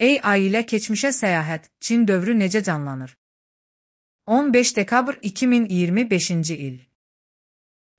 AI ilə keçmişə səyahət, Çin dövrü necə canlanır? 15 dekabr 2025-ci il.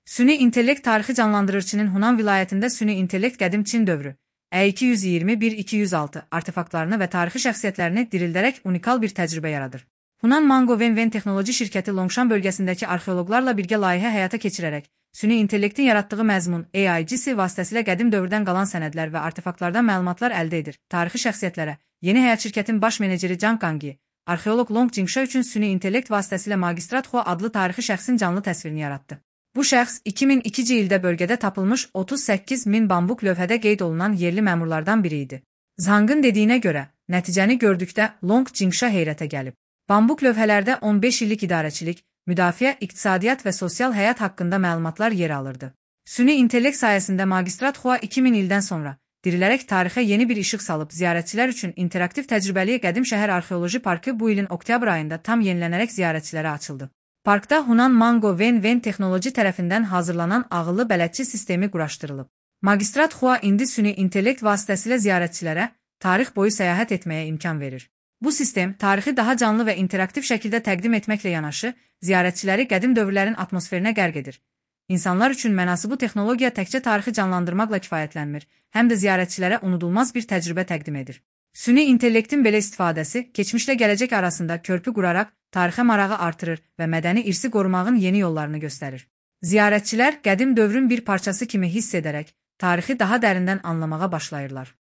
Süni intellekt tarixi canlandırır. Çinin Hunan vilayətində süni intellekt qədim Çin dövrü, E221-206 artefaktlarını və tarixi şəxsiyyətlərini dirildərək unikal bir təcrübə yaradır. Hunan Mango Wenwen texnoloji şirkəti Longshan bölgəsindəki arxeoloqlarla birgə layihə həyata keçirərək, süni intellektin yaratdığı məzmun AIGC vasitəsilə qədim dövrdən qalan sənədlər və artefaktlardan məlumatlar əldə edir. Tarixi şəxsiyyətlərə Yeni Həyat şirkətin baş meneceri Zhang Gangyi, arxeoloq Long Jingsha üçün süni intellekt vasitəsilə Magistrat Hua adlı tarixi şəxsin canlı təsvirini yaratdı. Bu şəxs 2002-ci ildə bölgədə tapılmış 38 min bambuq lövhədə qeyd olunan yerli məmurlardan biri idi. Zhang'ın dediyinə görə, nəticəni gördükdə Long Jingsha heyrətə gəlib. Bambuq lövhələrdə 15 illik idarəçilik, müdafiə, iqtisadiyyat və sosial həyat haqqında məlumatlar yer alırdı. Süni intellekt sayəsində Magistrat Hua 2000 ildən sonra dirilərək tarixə yeni bir işıq salıb, ziyarətçilər üçün interaktiv təcrübəli Qədim Şəhər Arxeoloji Parkı bu ilin oktyabr ayında tam yenilənərək ziyarətçilərə açıldı. Parkda Hunan Mango Wenwen texnoloji tərəfindən hazırlanan ağıllı bələdçi sistemi quraşdırılıb. Magistrat Hua indi süni intellekt vasitəsilə ziyarətçilərə tarix boyu səyahət etməyə imkan verir. Bu sistem tarixi daha canlı və interaktiv şəkildə təqdim etməklə yanaşı, ziyarətçiləri qədim dövrlərin atmosferinə qərq edir. İnsanlar üçün mənası bu texnologiya təkcə tarixi canlandırmaqla kifayətlənmir, həm də ziyarətçilərə unudulmaz bir təcrübə təqdim edir. Süni intellektin belə istifadəsi keçmişlə gələcək arasında körpü quraraq tarixə marağı artırır və mədəni irsi qorumağın yeni yollarını göstərir. Ziyarətçilər qədim dövrün bir parçası kimi hiss edərək tarixi daha dərindən anlamağa başlayırlar.